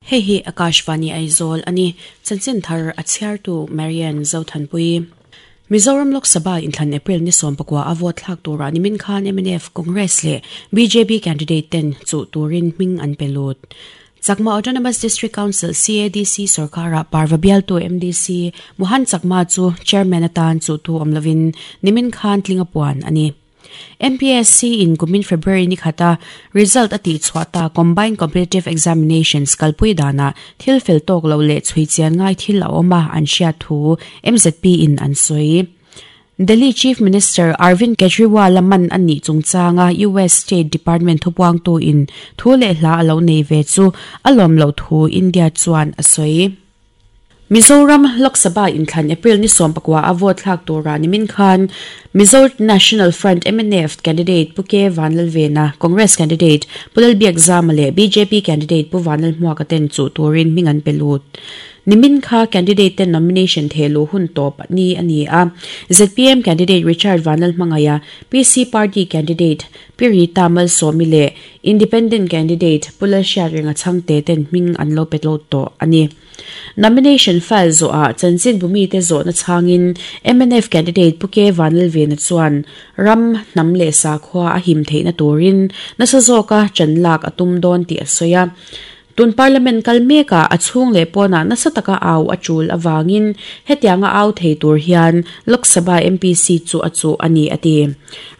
Hei hi Akashvani Aizawl a ni. Chanchin thar a chhiartu Marian Zothanpui. Mizoram Lok Sabha inthlan April ni 19 a vote thlak turah nimin khan mnf, Congress leh bjp candidate ten chuh turin hming an pe lut. Chakma Autonomous District Council, CADC, sorkara parva bialtu MDC Mohan Chakma chu chairman atan chuhtu awm lovin nimin khan tling a puan a ni. MPSC in kumin February ni khata result a tihchhuah ta Combined Competitive Examinations kalpui danah thil fel tawk lo leh chhui chian ngai thil a awm a an hriat thu MZP in an sawi. Delhi Chief Minister Arvind Kejriwal-a man a nih chungchanga US State Department thupuangtu in thu leh hla a lo nei ve chu a lawm loh thu India chuan a sawi. Mizoram Lok Sabha inthlan April ni 19 a vote thlak turah nimin khan Mizo National Front, mnf, candidate Pu K Vanlalvena, Congress candidate Pu Lalbiakzama leh bjp candidate Pu Vanlalhmuaka ten chuh turin hming an pe lut. Nimin kha candidate ten nomination thehluh hun tawp ni a ni a. Zpm candidate Richard Vanlalhmangaia, PC Party candidate Pi Rita Malsawmi leh Independent candidate Pu Lalhriatrenga Chhangte ten hming an lo pe lut tawh a ni. Nomination file zawhah chanchinbu mite zawhna chhangin mnf candidate Pu K Vanlalvena chuan ram, hnam leh sakhua a him theihna turin nasa zawka ṭan lak a tum dawn tih a sawi a. Tun Parliament kal mekah a chhung leh pawnah nasa taka au a tul avangin hetianga au thei tur hian Lok Sabha MP seat chu a chuh a ni, a ti.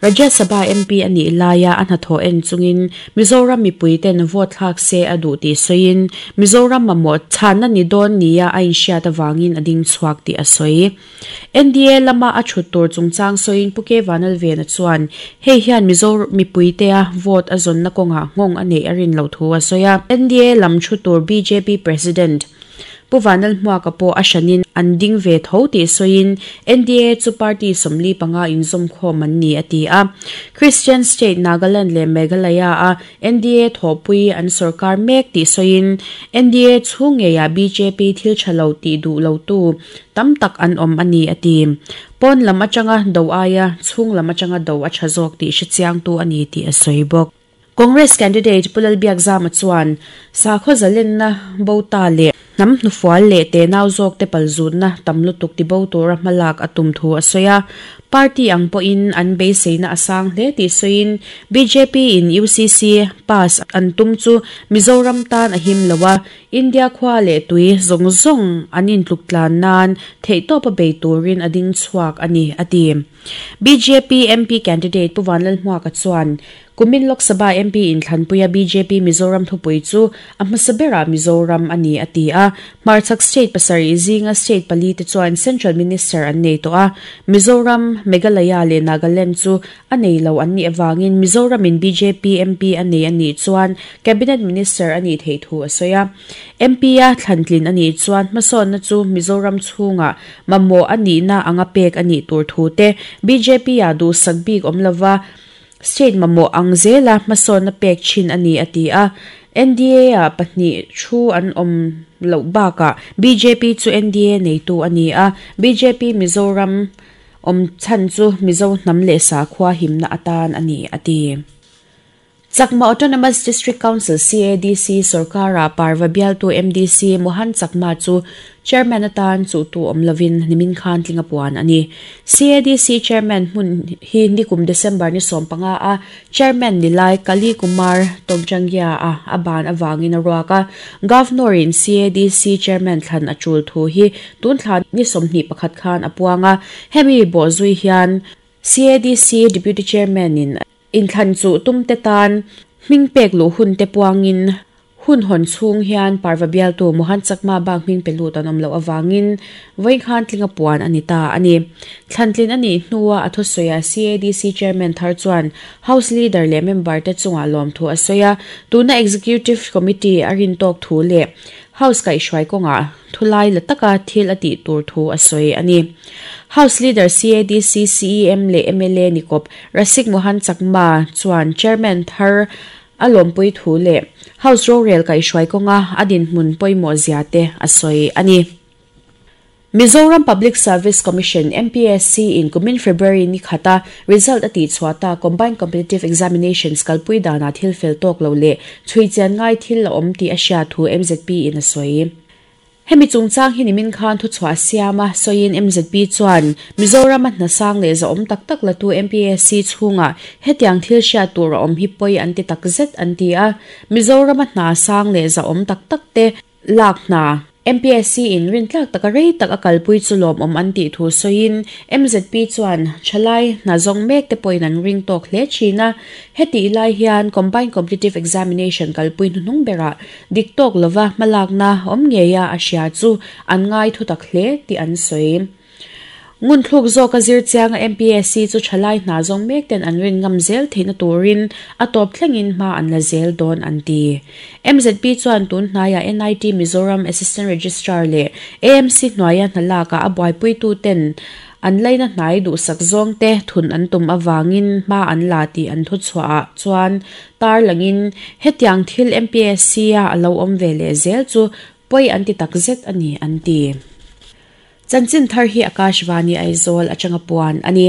Rajya Sabha MP a nih laia a hnathawh en chungin Mizoram mipuiten vote thlak se a duh tih sawiin Mizoram mamawh chhanna ni dawn nia a inhriat avangin a ding chhuak tih a sawi. NDA lama a thut tur chungchang sawiin Pu K Vanlalvena chuan hei hian Mizo mipuitea vote a zawnna kawngah nghawng a neih a rin loh thu a sawi a. NDA lam thu tur bjp President Pu Vanlalhmuaka pawh a hranin an ding ve tho tih sawiin NDA chu party 45 inzawmkhawm an ni a ti a. Christian state Nagaland leh Meghalaya-a NDA thawhpui an sawrkar mek tih sawiin NDA chhung ngeiah bjp thil tha lo tih duh lotu tam tak an awm a ni a ti. Pawn lam atanga do aia chhung lam atanga do a tha zawk tih hrechiangtu a ni tih a sawi bawk. Congress candidate Pu Lalbiakzama chuan sakhaw zalenna bo ta leh hnam hnufual leh tenau zawkte palzutna tam lutuk tibo tura hmalak a tum thu a sawi a. Party ang pawhin an beiseina a sang hle tih sawiin bjp in UCC pass an tum chu Mizoram tan a him lo a, India khua leh tui zawng zawng an intluk tlan nan theihtawpa bei turin a ding chhuak a ni, a ti. Bjp MP candidate Pu Vanlalhmuaka chuan Kumin Lok Sabha MP inthlanpuia bjp Mizoram thupui chu a hmasa berah Mizoram a ni, a ti a. Hmarchhak state pasarih zinga state pali te chuan Central Minister an nei tawh a. Mizoram, Meghalaya leh Nagaland chu a nei lo an nih avangin Mizoramin bjp MP a nei a nih chuan Cabinet Minister a nih theih thu a sawi a. MP-a thlantlin a nih chuan hmasawnna chu Mizoram chhungah mamawh a nihna anga pek a nih tur thu te BJP-ah duhsak bik awm lova State mamawh ang zela hmasawnna pek thin a ni, a ti a. NDA-ah pahnih thu an awm loh bakah bjp chu NDA neitu a ni a, bjp Mizoram awm chhan chu Mizo hnam leh sakhua himna atan a ni, a ti. Chakma Autonomous District Council, CADC, sorkara parva bialtu MDC Mohan Chakma chu Chairman atan chuhtu awm lovin nimin khan tling a puan a ni. CADC Chairman hmun hi nikum December ni 15 a Chairman ni lai Kali Kumar Tongchangya a a ban avangin a ruak a. Governor in CADC Chairman thlan a tul thu hi tun thla ni 21 khan a puang a. Hemi bawhzui hian CADC Deputy Chairman in Inthlan chuh tumte tan hming pek luh hun te puangin hun hawn chhung hian parva bialtu Mohan Chakma bak hming pe lut an awm loh avangin vawinkhan tlinga puan a ni ta a ni. Thlantlin a nih hnua a thusawiah CADC Chairman thar chuan House Leader leh member te chungah lawmthu a sawi a, tuna Executive Committee a rintawk thu leh House kaihhruai kawngah thulai la taka thil a tih tur thu a sawi a ni. House Leader CADC CEM leh mla ni kawp Rasik Mohan Chakma chuan Chairman thar a lawmpui thu leh House rorel kaihhruai kawnga a dinhmun pawimawh zia te a sawi a ni. Mizoram Public Service Commission, MPSC, in kumin February ni khata result a tihchhuah ta Combined Competitive Examinations kalpui danah thil fel tawk lo leh chhui chian ngai thil a awm tih a hriat thu MZP in a sawi. Hemi chungchang hi nimin khan thuchhuah siam a sawiin MZP chuan Mizorama hna sang leh zahawm tak tak latu MPSC chhungah hetiang thil hriat tur a awm hi pawi an ti takzet an ti a. Mizorama hna sang leh zahawm tak tak te lak hna. MPSC in rintlak taka rei tak a kalpui chu lawmawm an tih thu sawiin MZP chuan thalai hna zawng mek te pawhin an ring tawk hle thin a. Hetih lai hian Combined Competitive Examination kalpui hnuhnung berah dik tawk lova hmalakna awm ngeia a hria chu an ngai thutak hle tih an sawi. Ngunthluk zawka zir chianga MPSC chu thalai hna zawng mek ten an rin ngam zel theihna turin a tawp thlengin hma an la zel dawn an ti. MZP chuan tun hnaiah NIT Mizoram Assistant Registrar leh AMC hnuaia hna lakah a buaipuitu ten an laina hnai duhsak zawng te thun an tum avangin hma an la tih an thuchhuahah chuan tarlangin hetiang thil MPSC-a a lo awm ve leh zel chu pawi an ti takzet a ni an ti. Chanchin thar hi Akashvani Aizawl atanga puan a ni.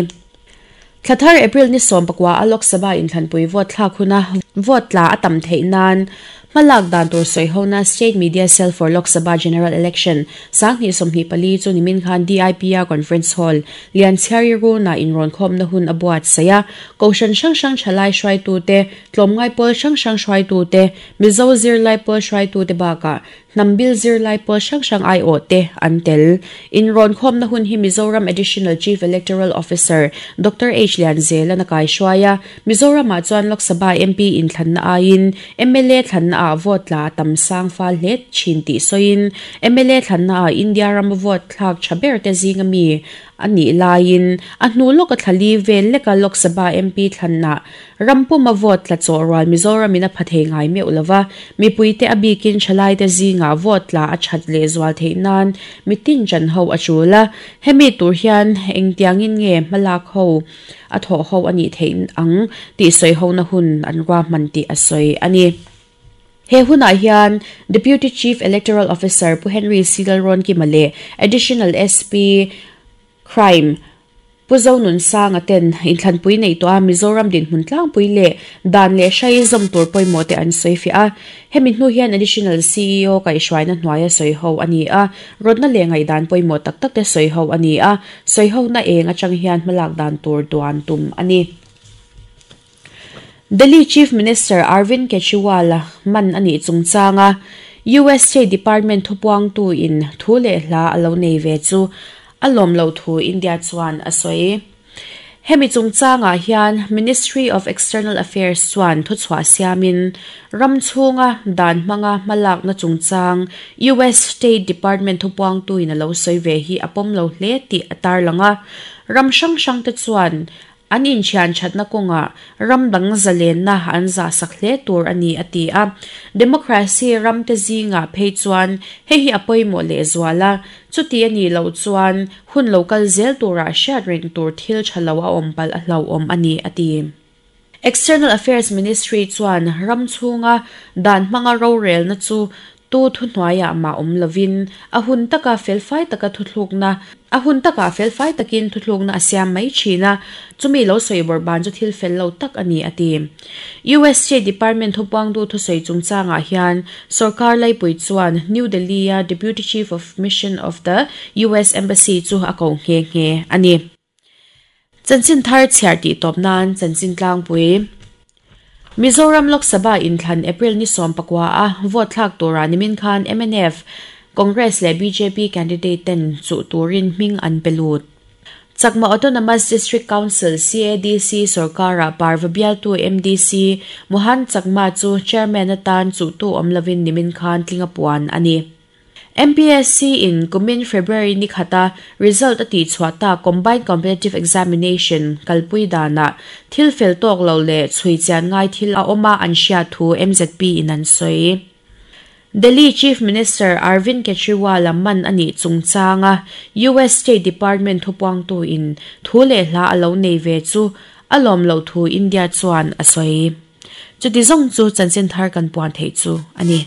Thla thar April ni 19 a Lok Sabha inthlanpui vote thlak huna vote tla a tam theih nan hmalak dan tur sawihona State Media Cell for Lok Sabha General Election 2024 chu nimin khan DIPR Conference Hall Lianchhiari Runa inrawnkhawmna hun a buatsaih a. Kohhran hrang hrang thalai hruaitute, tlawmngai pawl hrang hrang hruaitute, Mizo zirlai pawl hruaitute bakah Hnam bil zirlai pawl hrang hrang aiawh te an tel. Inrawnkhawmna hun hi Mizoram Additional Chief Electoral Officer Doctor H Lianzela'n a kaihruai a, Mizoramah chuan Lok Sabha MP inthlanna aiin mla thlanna ah vote tla a tam sang fal hle thin tih sawiin mla thlanna ah India rama vote thlak tha ber te zinga mi a nih laiin a hnu lawka thlali vel leka Lok Sabha MP thlanna Ram puma vote tla chawh rual Mizoramin a pha thei ngai meuh lo va, mipuite a bikin thalaite zingah vote tla a that lehzual theih nan mitin chan ho a tul a. Hemi tur hian engtiangin nge hmalak ho a thawh ho a nih theih ang tih sawi hona hun an ruahman tih a sawi a ni. He hunah hian Deputy Chief Electoral Officer Pu Henry Silalrawnkima leh Additional SP, Crime, Pu Zonunsanga ten inthlanpui neih tawh a Mizoram dinhmun tlangpui leh dan leh hrai zawm tur pawimawh te an sawi fiah a. Hemi hnu hian Additional CEO kaihhruaina hnuaia sawi ho a ni a, rawtna leh ngaihdan pawimawh tak tak te sawi ho a ni a, sawi hona eng atang hian hmalak dan tur duan tum a ni. Delhi Chief Minister Arvind Kejriwal man a nih chungchanga US State Department thupuangtu in thu leh hla a lo nei ve chu a lawm loh thu India chuan a sawi. Hemi chungchangah hian Ministry of External Affairs chuan thuchhuah siamin ram chhunga dan hmanga hmalakna chungchang US State Department thupuangtuin a lo sawi ve hi a pawm lo hle tih a tarlang a. Ram hrang hrangte chuan An inthian thatna kawngah ram dang zalenna an zahsak hle tur a ni, a ti a. Democracy ramte zingah phei chuan hei hi a pawimawh lehzual a, chuti a nih loh chuan hun lo kal zel turah hriat reng tur thil tha lo a awm palh a hlauhawm a ni, a ti. External Affairs Ministry chuan ram chhunga dan hmanga rorelna chu Tu thuhnuaiah mah awm lovin, a hun taka felfai taka thuthlukna, a hun takah felfai takin thuthlukna a siam mai thin a, chumi lo sawi bawrh ban chu thil fel lo tak a ni, a ti. US State Department thupuangtu thusawi chungchangah hian sorkar laipui chuan New Delhi-a Deputy Chief of Mission of the US Embassy chu a ko nghe nghe a ni. Chanchin thar chhiar tih tawp nan chanchin tlangpui. Mizoram Lok Sabha inthlan April ni 19 a vote thlak turah nimin khan mnf, Congress leh bjp candidate ten chuh turin hming an pe lut. Chakma Autonomous District Council, CADC, sorkarah parva bialtu MDC Mohan Chakma chu chairman atan chuhtu awm lovin nimin khan tlinga puan a ni. MPSC in kumin February ni khata result a tihchhuah tak Combined Competitive Examination kalpui danah thil fel tawk lo leh chhui chian ngai thil a awm a an hriat thu MZP in an sawi. Delhi Chief Minister Arvind Kejriwal a man a nih chungchanga US State Department thupuangtu in thu leh hla a lo nei ve chu a lawm loh thu India chuan a sawi. Chuti zawng chu chanchin thar kan puan theih chu a ni.